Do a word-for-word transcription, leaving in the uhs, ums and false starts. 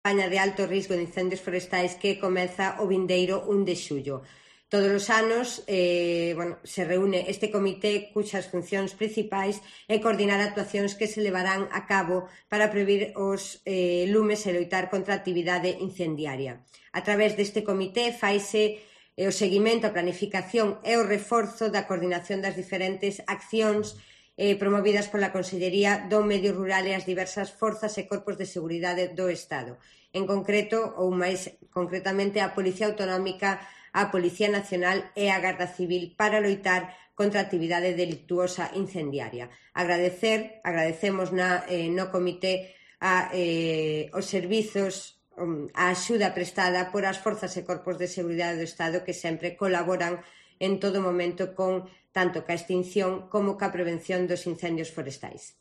campaña de alto risco de incendios forestais que comeza o vindeiro un de xullo. Todos os anos eh, bueno, se reúne este comité cuxas funcións principais é coordinar actuacións que se levarán a cabo para prevenir os eh, lumes e loitar contra a actividade incendiaria. A través deste comité faise eh, o seguimento, a planificación e o reforzo da coordinación das diferentes accións Eh, promovidas pola Consellería do Medio Rural e as diversas forzas e corpos de seguridade do Estado. En concreto, ou máis concretamente, a Policía Autonómica, a Policía Nacional e a Garda Civil para loitar contra a actividade delictuosa incendiaria. Agradecer, agradecemos na, eh, no comité a, eh, os servizos, a axuda prestada por as forzas e corpos de seguridade do Estado que sempre colaboran en todo momento con tanto ca extinción como ca prevención dos incendios forestais.